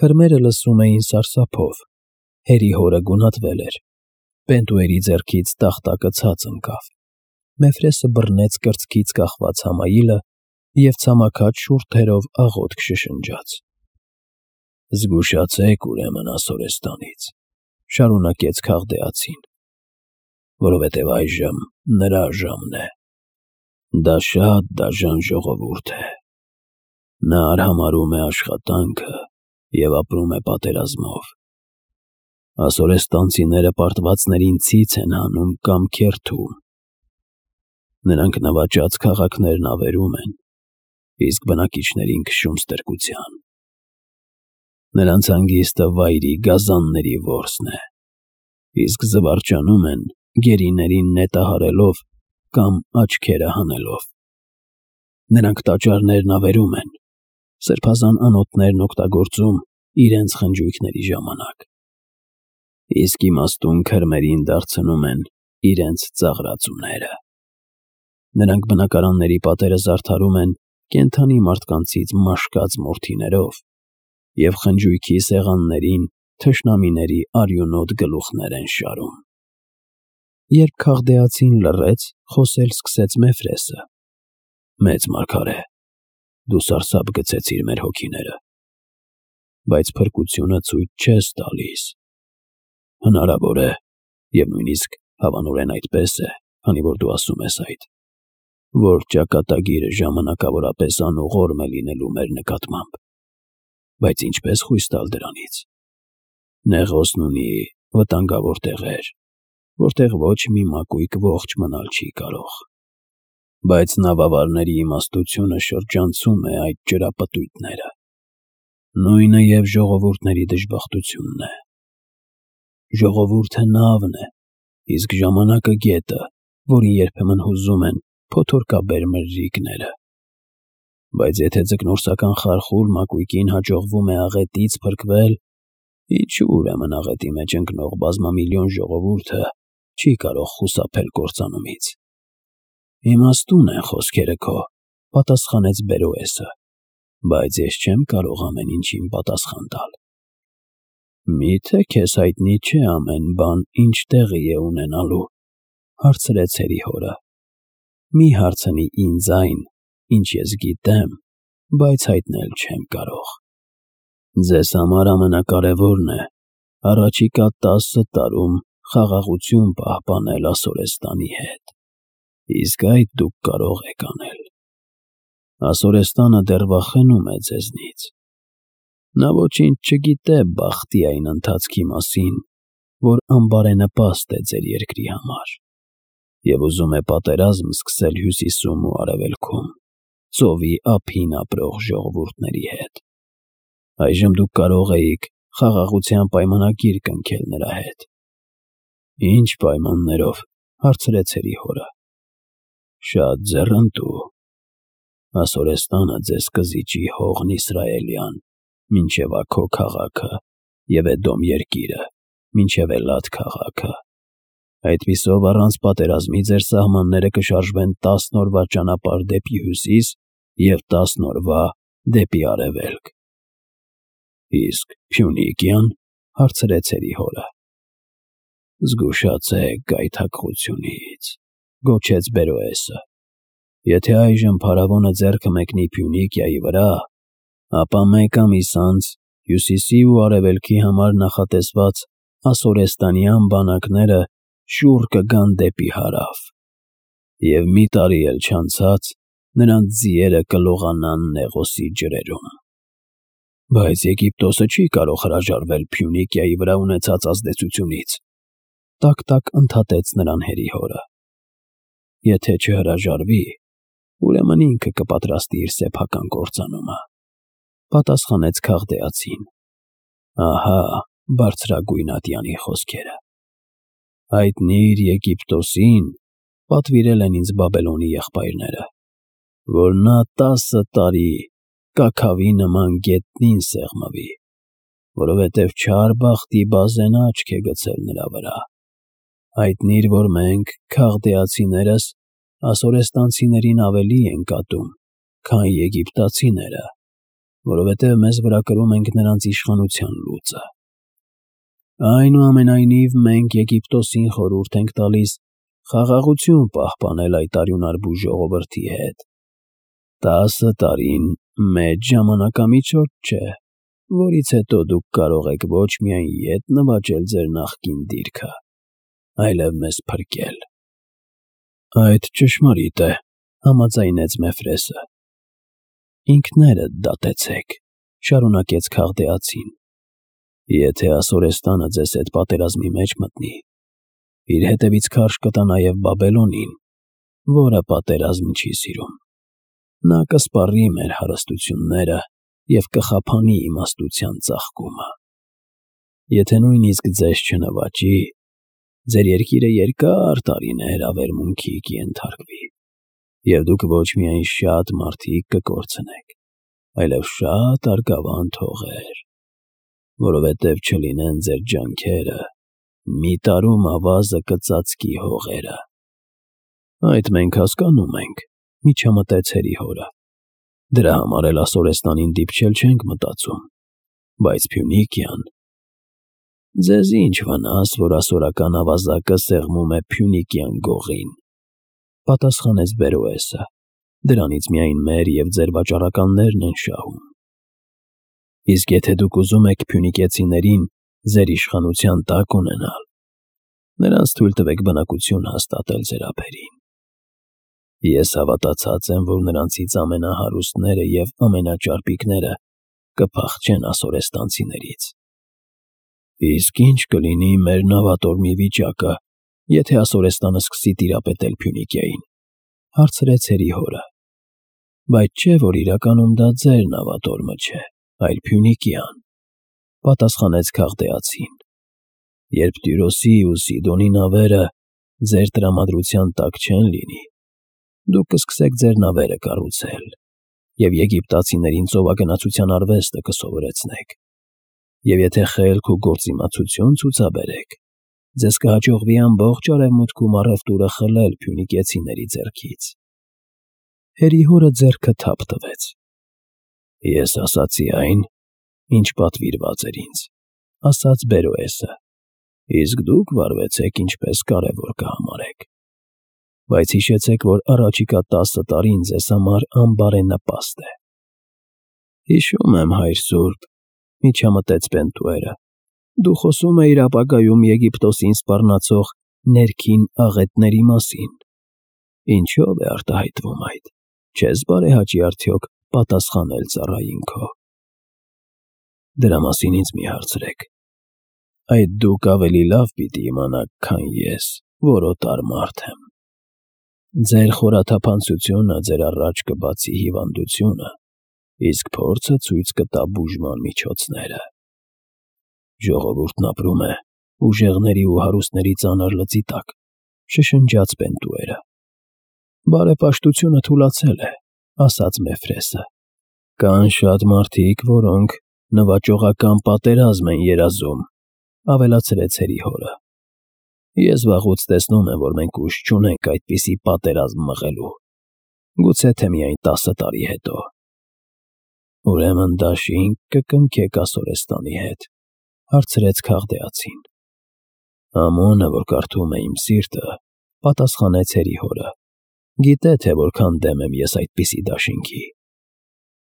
Քրմերը լսում էին սարսափով, հերի հորը գունատվել էր, Պենտուերի ձեռքից տախտակը ցած ընկավ, Մեֆրեսը բռնեց կրծքից կախված Համայիլը և ցամաքած շուրթերով աղոթք շշնջաց. «Զգուշացեք ուրեմն Ասորեստանից», շարունակեց Քաղդեացին, «որովհետև այժմ նրա ժամն է. դա շատ դաժան ժողովուրդ է, նա արհամարհում է աշխատանքը և ապրում է պատերազմով, ասորեստանցիները պարտվածներին ցից են հանում կամ քերթում, նրանք նվաճած քաղաքներն ավերում են, իսկ բնակիչներին քշում ստրկության, նրանց հանգիստը վայրի գազանների որսն է, իսկ զվարճանում են գերիներին նետահարելով կամ աչքերը հանելով, նրանք տաճարներն ավերում են, սրբազան անոթներն օգտագործում իրենց խնջույքների ժամանակ, իսկ իմաստուն քրմերին դարձնում են իրենց ծաղրածուները, նրանք բնակարանների պատերը զարդարում են կենդանի մարդկանցից մաշկած մորթիներով և խնջույքի սեղաններին թշնամիների արյունոտ գլուխներ են շարում»։ Երբ Քաղդեացին լռեց, խոսել սկսեց Մեֆրեսը. «Մեծ մարգարե, դու սարսափ գցեցիր մեր հոգիները, բայց փրկությունը ցույց չես տալիս, հնարավոր է, և նույնիսկ հավանորեն այդպես է, քանի որ դու ասում ես այդ, որ ճակատագիրը ժամանակավորապես անուղղորմ է լինելու մեր նկատմամբ, բայց ինչպես խույս տալ դրանից։ Նեղոսն ունի վտանգավոր տեղեր, որտեղ ոչ մի մակույկ ողջ մնալ չի կարող, բայց նավավարների իմաստությունը շրջանցում է այդ ջրապտույտները, նույնը և ժողովուրդների դժբախտությունն է։ Ժողովուրդը նավն է, իսկ ժամանակը գետը, որին երբեմն հուզում են փոթորկաբեր մրրիկները, բայց եթե ձկնորսական խարխուլ մակույկին հաջողվում է աղետից փրկվել, ինչու ուրեմն աղետի մեջ ընկնող բազմամիլիոն ժողովուրդը չի կարող խուսափել կործանումից։ Իմաստուն են խոսքերը քո, պատասխանեց Բերոեսը, բայց ես չեմ կարող ամեն ինչին պատասխան տալ։ Միթե քեզ հայտնի չէ ամեն բան ինչ տեղի է ունենալու, հարցրեց հերի հորը։ Մի հարցնի ինձ այն, ինչ ես գիտեմ, բայց հայտնել չեմ կարող։ Ձեզ համար ամենակարևորն է առաջիկա 10 տարում խաղաղություն պահպանել Ասորեստանի հետ, իսկ այդ դուք կարող եք անել։ Ասորեստանը դեռ վախենում է ձեզնից։ Նա ոչինչ չգիտե բախտի այն ընթացքի մասին, որ անբարենպաստ է ձեր երկրի համար, և ուզում է պատերազմ սկսել հյուսիսում ու արևելքում, ծովի ափին ապրող ժողովուրդների հետ։ Այժմ դուք կարող էիք խաղաղության պայմանագիր կնքել նրա հետ։ Ինչ պայմաններով, հարցրեց հերի հորը։ Շատ ձեռնտու։ Ասորեստանը ձեզ կզիջի հողն Իսրայելյան, մինչև Աքո քաղաքը և Էդոմ երկիրը, մինչև Էլատ քաղաքը։ Այդպիսով առանց պատերազմի ձեր սահմանները կշարժվեն 10 օրվա ճանապարհ դեպի հյուսիս և 10 օրվա դեպի արևելք։ Իսկ Փյունիկյան, հարցրեց հերի հորը։ Զգուշացեք գայթակղությունից, գոչեց Բերոեսը։ Եթե այժմ փարավոնը ձեռքը մեկնի Փյունիկիայի վրա, ապա մեկ ամիս անց հյուսիսի ու արևելքի համար նախատեսված Ասորեստանյան բանակները շուռ կգան դեպի հարավ, և մի տարի էլ չանցած նրանց ձիերը կլողանան Նեղոսի ջրերում։ Բայց Եգիպտոսը չի կարող հրաժարվել Փյունիկիայի վրա ունեցած ազդեցությունից, տակ-տակ ընդհատեց նրան հերի հորը։ Եթե չհրաժարվի, ուրեմն ինքը կպատրաստի իր սեփական կործանումը, պատասխանեց Քաղդեացին։ Ահա բարձրագույն ատյանի խոսքերը։ Հայտնիր Եգիպտոսին, պատվիրել են ինձ Բաբելոնի եղբայրները, որ նա 10 տարի կաքավի նման գետնին սեղմվի, որովհետև չար բախտի բազեն աչք է գցել նրա վրա։ Հայտնիր, որ մենք, քաղդեացիներս, ասորեստանցիներին ավելի ենք ատում, քան եգիպտացիները, որովհետև մեզ վրա կրում ենք նրանց իշխանության լուծը։ Այնուամենայնիվ, մենք Եգիպտոսին խորհուրդ ենք տալիս խաղաղություն պահպանել այդ արյունարբու ժողովրդի հետ։ 10 տարին մեծ ժամանակամիջոց չէ, որից հետո դուք կարող եք ոչ միայն ետ նվաճել ձեր նախկին դիրքը, այլև մեզ փրկել։ Այդ ճշմարիտ է, համաձայնեց Մեֆրեսը։ Ինքներդ դատեցեք, շարունակեց Քաղդեացին։ Եթե Ասորեստանը ձեզ հետ պատերազմի մեջ մտնի, իր հետևից քարշ կտա նաև Բաբելոնին, որը պատերազմ չի սիրում։ Նա կսպառի մեր հարստությունները և կխափանի իմաստության ծաղկումը։ Եթե նույնիսկ ձեզ չնվաճի, ձեր երկիրը երկար տարիներ ավերմունքի կենթարկվի, և դուք ոչ միայն շատ մարդիկ կկորցնեք, այլև շատ արգավանդ հողեր, որովհետև չլինեն ձեր ջանքերը, մի տարում ավազը կծածկի հողերը։ Այդ մենք հասկանում ենք, միջամտեց Հերիհորը։ Դրա համար էլ Ասորեստանին դիպչել չենք մտածում, բայց Փյունիկիան… Ձեզ ինչ վնաս, որ ասորական ավազակը սեղմում է Փյունիկիան գողին, պատասխանեց Բերոեսը, դրանից միայն մեր և ձեր վաճառականներն են շահում։ Իսկ եթե դուք ուզում եք փյունիկեցիներին ձեր իշխանության տակ ունենալ, նրանց թույլ տվեք բնակություն հաստատել ձեր ափերին։ Ես հավատացած եմ, որ նրանցից ամենահարուստները և ամենաճարպիկները կփախչեն ասորեստանցիներից։ Իսկ ինչ կլինի մեր նավատորմի վիճակը, եթե Ասորեստանը սկսի տիրապետել Փյունիկիային, հարցրեց Հերիհորը։ Բայց չէ, որ իրականում դա ձեր նավատորմը չէ, այլ Փյունիկիան, պատասխանեց Քաղդեացին։ Երբ Տյուրոսի ու Սիդոնի նավերը ձեր տրամադրության տակ չեն լինի, դուք կսկսեք ձեր նավերը կառուցել և եգիպտացիներին ծովագնացության արվեստը կսովորեցնեք։ Եվ եթե խելք ու գործիմացություն ցուցաբերեք, ձեզ կհաջողվի ամբողջ արևմուտքում առևտուրը խլել փյունիկեցիների ձեռքից։ Հերիհորը ձեռքը թափ տվեց։ Ես ասացի այն, ինչ պատվիրված էր ինձ, ասաց Բերոեսը, իսկ դուք վարվեցեք ինչպես կարևոր կհամարեք։ Բայց հիշեցեք, որ առաջիկա 10 տարին ձեզ համար անբարենպաստ է։ Հիշում եմ, հայր սուրբ, միջամտեց Պենտուերը, դու խոսում էիր ապագայում Եգիպտոսին սպառնացող ներքին աղետների մասին։ Ինչո՞վ է արտահայտվում այդ, չես բարեհաճի արդյոք պատասխանել ծառային քո։ Դրա մասին ինձ մի հարցրեք։ Այդ դուք ավելի լավ պիտի իմանաք, քան ես, որ օտար մարդ եմ։ Ձեր խորաթափանցությունը ձեր առաջ կբացի հիվանդությունը, իսկ փորձը ցույց կտա բուժման միջոցները։ Ժողովուրդն ապրում է ուժեղների ու հարուստների ծանր լծի տակ, շշնջաց Պենտուերը։ Բարեպաշտությունը թուլացել է, ասաց Մեֆրեսը։ Կան շատ մարդիկ, որոնք նվաճողական պատերազմ են երազում, ավելացրեց Հերիհորը։ Ես վաղուց տեսնում եմ, որ մենք ուժ չունենք այդպիսի պատերազմ մղելու, գուցե թե միայն 10 տարի հետո։ Ուրեմն դաշինք կկնքեք Ասորեստանի հետ, հարցրեց Քաղդեացին։ Ամոնը, որ կարդում է իմ սիրտը, պատասխանեց Հերիհորը, գիտե, թե որքան դեմ եմ ես այդպիսի դաշինքի։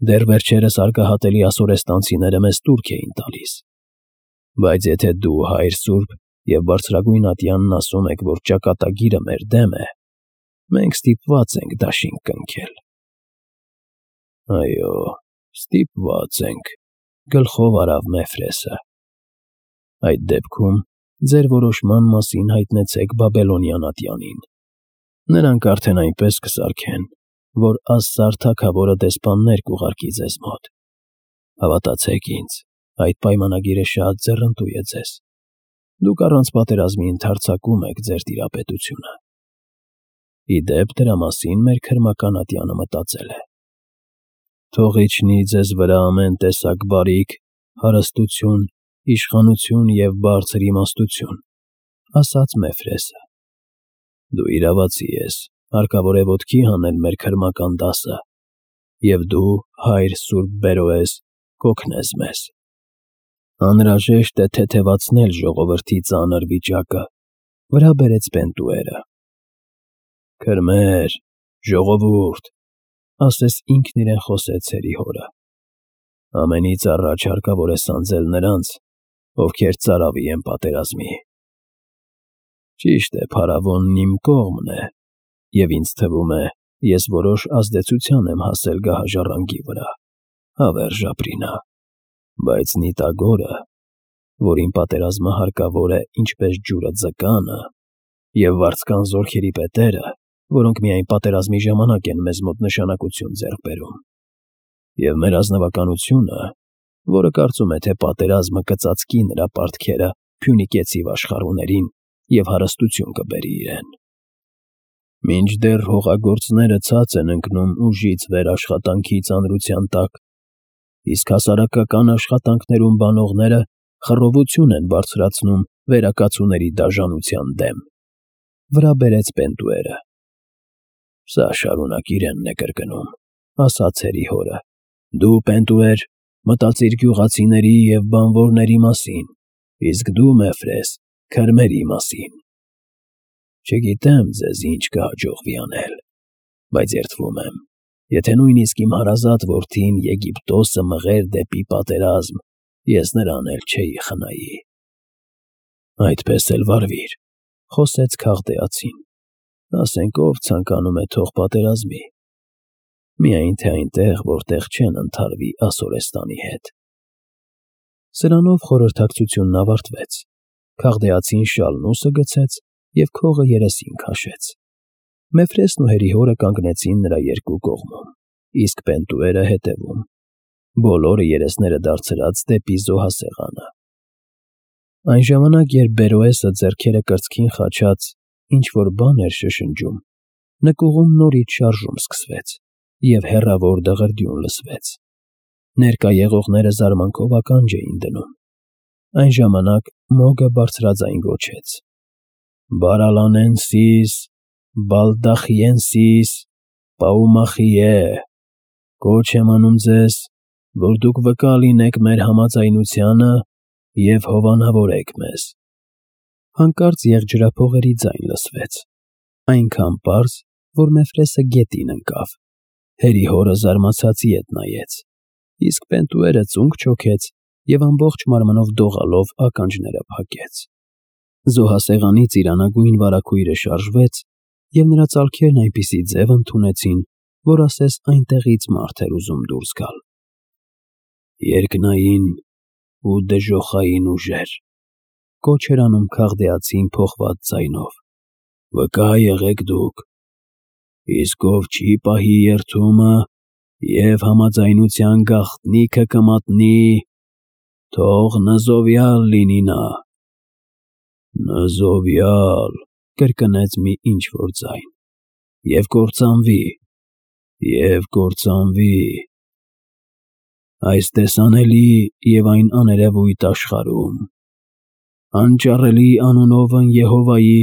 Դեռ վերջերս արգահատելի ասորեստանցիները մեզ տուրք էին տալիս։ Բայց եթե դու, հայր սուրբ, և բարձրագույն ատյանն ասում եք, որ ճակատագիրը մեր դեմ է, մենք ստիպված ենք դաշինք կնքել։ Այո, ստիպված ենք, գլխով արավ Մեֆրեսը։ Այդ դեպքում ձեր որոշման մասին հայտնեցեք Բաբելոնյան ատյանին։ Նրանք արդեն այնպես կսարքեն, որ Ասսար թագավորը դեսպաններ կուղարկի ձեզ մոտ։ Հավատացեք ինձ, այդ պայմանագիրը շատ ձեռնտու է ձեզ։ Դուք առանց պատերազմի ընդարձակում եք ձեր տիրապետությունը։ Ի դեպ, դրա մասին մեր քրմական ատյանը մտածել է։ Թող իջնի ձեզ վրա ամեն տեսակ բարիք, հարստություն, իշխանություն և բարձր իմաստություն, ասաց Մեֆրեսը։ Դու իրավացի ես, հարկավոր է ոտքի հանել մեր քրմական դասը, և դու, հայր սուրբ Բերոես, կօգնես մեզ։ Անհրաժեշտ է թեթևացնել ժողովրդի ծանր վիճակը, վրա բերեց Պենտուերը։ Քրմեր, ժողովուրդ, ասես ինքն իրեն խոսեց հերի հորը։ Ամենից առաջ հարկավոր է սանձել նրանց, ովքեր ծարավի են պատերազմի։ Ճիշտ է, փարավոնն իմ կողմն է, և ինձ թվում է, ես որոշ ազդեցության եմ հասել գահաժառանգի վրա, հավերժ ապրինա, բայց Նիտագորը, որին պատերազմը հարկավոր է ինչպես ջուրը ձկանը, և վարձկան զորքերի պետերը, որոնք միայն պատերազմի ժամանակ են մեզ մոտ նշանակություն ձեռք բերում, և մեր ազնվականությունը, որը կարծում է, թե պատերազմը կծածկի նրա պարտքերը Փյունիկեցիվ աշխարհուներին և հարստություն կբերի իրեն։ Մինչդեռ հողագործները ցած են ընկնում ուժից վեր աշխատանքի ծանրության տակ, իսկ հասարակական աշխատանքներում բանողները խռովություն են բարձրացնում վերակացուների դաժանության դեմ։ Վրա բերեց Պենտուերը։ Սա շարունակ իրենն է կրկնում, ասաց հերի հորը։ Դու, Պենտուեր, մտածիր գյուղացիների և բանվորների մասին, իսկ դու, Մեֆրես, քրմերի մասին։ Չգիտեմ ձեզ ինչ կհաջողվի անել, բայց երդվում եմ, եթե նույնիսկ իմ հարազատ որդին Եգիպտոսը մղեր դեպի պատերազմ, ես նրան էլ չէի խնայի։ Այդպես էլ վարվիր, խոսեց Քաղդեացին, ասենք ով ցանկանում է թող պատերազմի, միայն թե այնտեղ, որտեղ չեն ընդհարվի Ասորեստանի հետ։ Սրանով խորհրդակցությունն ավարտվեց, Քաղդեացին շալն ուսը գցեց և քողը երեսին քաշեց։ Մեֆրեսն ու հերի հորը կանգնեցին նրա երկու կողմում, իսկ Պենտուերը հետևում, բոլորը երեսները դարձրած դեպի զոհասեղանը։ Այն ժամանակ, երբ Բերոեսը ձեռքերը կրծքին խաչած ինչ-որ բան էր շշնջում, նկուղում նորից շարժում սկսվեց, և հեռավոր դղրդյուն լսվեց։ Ներկա եղողները զարմանքով ականջ էին դնում։ Այն ժամանակ Մոգը բարձրաձայն գոչեց. «Բարալանենսիս, Բալդախիենսիս, Պաումախիե, կոչ եմ անում ձեզ, որ դուք վկա լինեք մեր համաձայնությանը և հովանավորեք մեզ»։ Հանկարծ եղջրափողերի ձայն լսվեց, այնքան պարզ, որ Մեֆրեսը գետին ընկավ։ Հերի հորը զարմացած ետ նայեց, իսկ Պենտուերը ծունկ չոքեց և ամբողջ մարմնով դողալով ականջները փակեց։ Զոհասեղանից իրանագույն վարագույրը շարժվեց, և նրա ծալքերն այնպիսի ձև ընդունեցին, որ ասես այնտեղից մարդ էր ուզում դուրս գալ։ Երկնային ու դժոխային ուժեր, կոչ էր անում Քաղդեացին փոխված ձայնով, վկա եղեք դուք, իսկ ով չի պահի երդումը և համաձայնության գաղտնիքը կմատնի, թող նզովյալ լինի նա։ Նզովյալ, կրկնեց մի ինչ-որ ձայն, և կործանվի։ Այս տեսանելի և այն աներևույթ աշխարհում, անճառելի անունովն Եհովայի,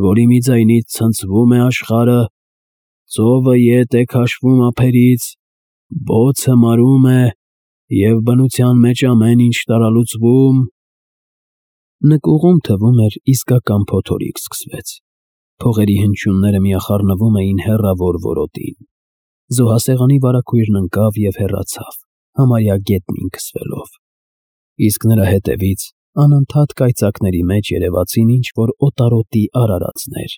որի մի ձայնից ցնցվում է աշխարհը, ծովը ետ է քաշվում ափերից, բոցը մարում է, և բնության մեջ ամեն ինչ տարալուծվում։ Նկուղում, թվում էր, իսկական փոթորիկ սկսվեց։ Փողերի հնչյունները միախառնվում էին հեռավոր որոտին։ Զոհասեղանի վարագույրն ընկավ և հեռացավ, համարյա գետնին քսվելով։ Իսկ նրա հետևից անընդհատ կայծակների մեջ երևացին ինչ-որ օտարոտի արարածներ,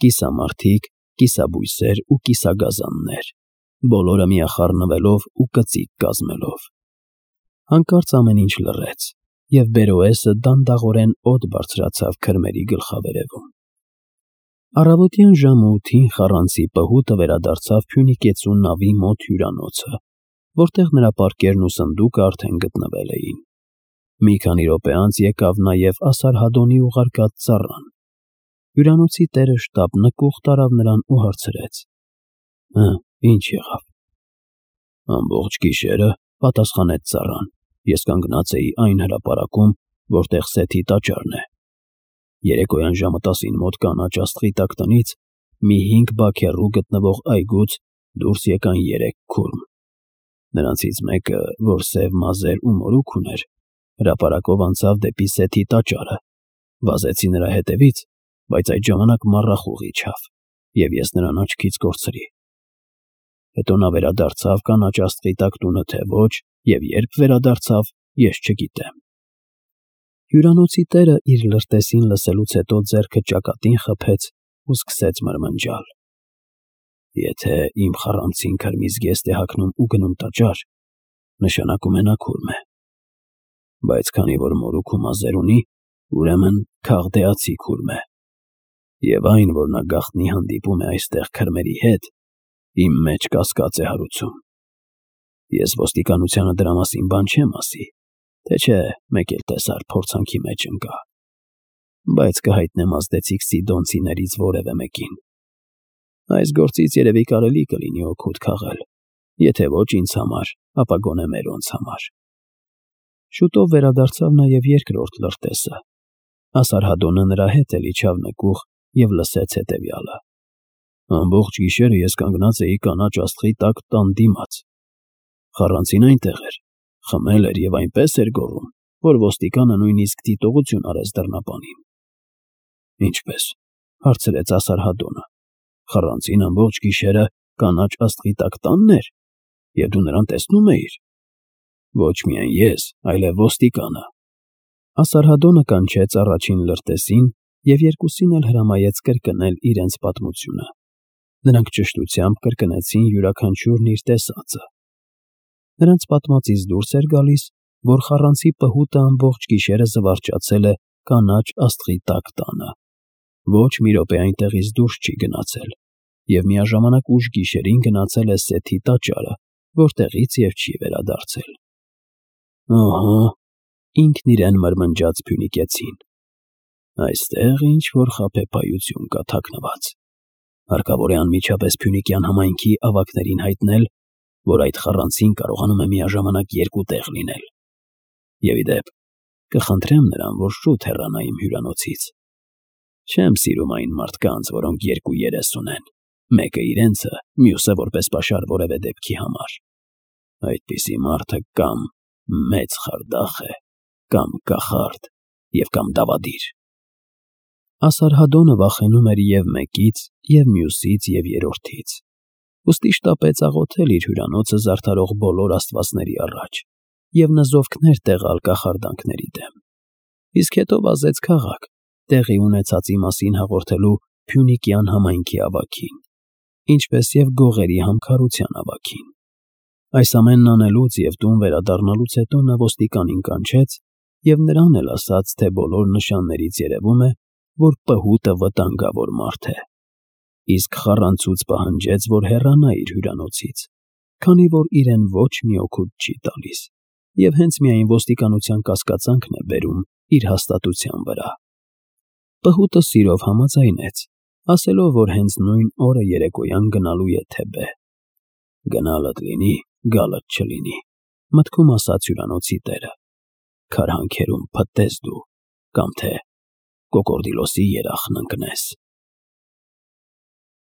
կիսամարդիկ, կիսաբույսեր ու կիսագազաններ, բոլորը միախառնվելով ու կծիկ կազմելով։ Հանկարծ ամեն ինչ լռեց, և Բերոեսը դանդաղորեն օդ բարձրացավ քրմերի գլխավերևում։ Առավոտյան ժամը 8-ին խառանցի պհուտը վերադարձավ Փյունիկեցու նավի մոտ հյուրանոցը, որտեղ նրա պարկերն ու սնդուկը արդեն գտնվել էին։ Մի քանի րոպե անց եկավ նաև Ասարհադոնի ուղարկած ծառան։ Հյուրանոցի տերը շտապ նկուղ տարավ նրան ու հարցրեց. Ինչ եղավ։ Ամբողջ գիշերը, պատասխանեց ծառան, ես կանգնած էի այն հրապարակում, որտեղ Սեթի տաճարն է։ Երեկոյան ժամը 10-ին մոտ կանաչ աստղի տակ տնից մի 5 բաքեռու գտնվող այգուց դուրս եկան 3 քուրմ։ Նրանցից մեկը, որ սև մազեր ու մորուք ուներ, հրապարակով անցավ դեպի Սեթի տաճարը։ Վազեցի նրա հետևից, բայց այդ ժամանակ մառախուղ իջավ, և ես նրան աչքից կորցրի։ Հետո նա վերադարձավ կանաչ աստղի տակ տունը, թե ոչ, և երբ վերադարձավ, ես չգիտեմ։ Հյուրանոցի տերը իր լրտեսին լսելուց հետո ձեռքը ճակատին խփեց ու սկսեց մրմնջալ։ Եթե իմ խառանցին քրմի զգեստ է հագնում ու գնում տաճար, նշանակում է նա քուրմ է։ Բայց քանի որ մորուք ու մազեր ունի, ուրեմն քաղդեացի քուրմ է։ Եվ այն, որ նա գաղտնի հանդիպում է այստեղ քրմերի հետ, իմ մեջ կասկած է հարուցում։ Ես ոստիկանությանը դրա մասին բան չեմ ասի, թե չէ մեկ էլ տեսար փորձանքի մեջ ընկա։ Բայց կհայտնեմ ազդեցիկ սիդոնցիներից որևէ մեկին։ Այս գործից երևի կարելի կլինի օգուտ քաղել, եթե ոչ ինձ համար, ապա գոնե մերոնց համար։ Շուտով վերադարձավ նաև երկրորդ լրտեսը։ Ասարհադոնը նրա հետ էլ իջավ նկուղ և լսեց հետևյալը. ամբողջ գիշերը ես կանգնած էի կանաչ աստղի տակ տան դիմաց։ Խառանցին այնտեղ էր, խմել էր և այնպես էր գոռում, որ ոստիկանը նույնիսկ դիտողություն արեց դռնապանին։ Ինչպե՞ս, հարցրեց Ասարհադոնը։ Խառանցին ամբողջ գիշերը կանաչ աստղի տակ տանն էր, և դու նրան տեսնում էիր։ Ոչ միայն ես, այլև ոստիկանը։ Ասարհադոնը կանչեց առաջին լրտեսին և երկուսին էլ հրամայեց կրկնել իրենց պատմությունը։ Նրանք ճշտությամբ կրկնեցին յուրաքանչյուրն իր տեսածը։ Նրանց պատմածից դուրս էր գալիս, որ խառանցի պհուտը ամբողջ գիշերը զվարճացել է կանաչ աստղի տակ տանը։ Ոչ մի րոպե այնտեղից դուրս չի գնացել, և միաժամանակ ուշ գիշերին գնացել է Սեթի տաճարը, որտեղից և չի վերադարձել։ Ահա, ինքն իրեն մրմնջաց փյունիկեցին։ Այստեղ ինչ-որ խաբեբայություն կա թաքնված։ Հարկավոր է անմիջապես Փյունիկյան համայնքի ավագներին հայտնել, որ այդ խառանցին կարողանում է միաժամանակ երկու տեղ լինել։ Եվ ի դեպ, կխնդրեմ նրան, որ շուտ հեռանա իմ հյուրանոցից։ Չեմ սիրում այն մարդկանց, որոնք երկու երես ունեն, մեկը իրենցը, մյուսը որպես պաշար որևէ դեպքի համար։ Այդպիսի մարդը կամ մեծ խարդախ է, կամ կախարդ, և կամ դավադիր։ Ասարհադոնը վախենում էր և մեկից, և մյուսից, և երրորդից։ Ուստի շտապեց աղոթել իր հյուրանոցը զարդարող բոլոր աստվածների առաջ և նզովքներ տեղալ կախարդանքների դեմ։ Իսկ հետո վազեց քաղաք, տեղի ունեցածի մասին հաղորդելու Փյունիկյան համայնքի ավագին, ինչպես և գողերի համքարության ավագին։ Այս ամենն անելուց և տուն վերադառնալուց հետո նա ոստիկանին կանչեց և նրան էլ ասաց, թե բոլոր նշաններից երևում է, որ պհուտը վտանգավոր մարդ է։ Իսկ խառանցուց պահանջեց, որ հեռանա իր հյուրանոցից, քանի որ իրեն ոչ մի օգուտ չի տալիս, և հենց միայն ոստիկանության կասկածանքն է բերում իր հաստատության վրա։ Պհուտը սիրով համաձայնեց, ասելով, որ հենց նույն օրը երեկոյան գնալու է Թեբե։ Գնալդ լինի, գալդ չլինի, մտքում ասաց հյուրանոցի տերը։ Քարհանքերում փտտես դու, կամ թե կոկորդիլոսի երախն ընկնես։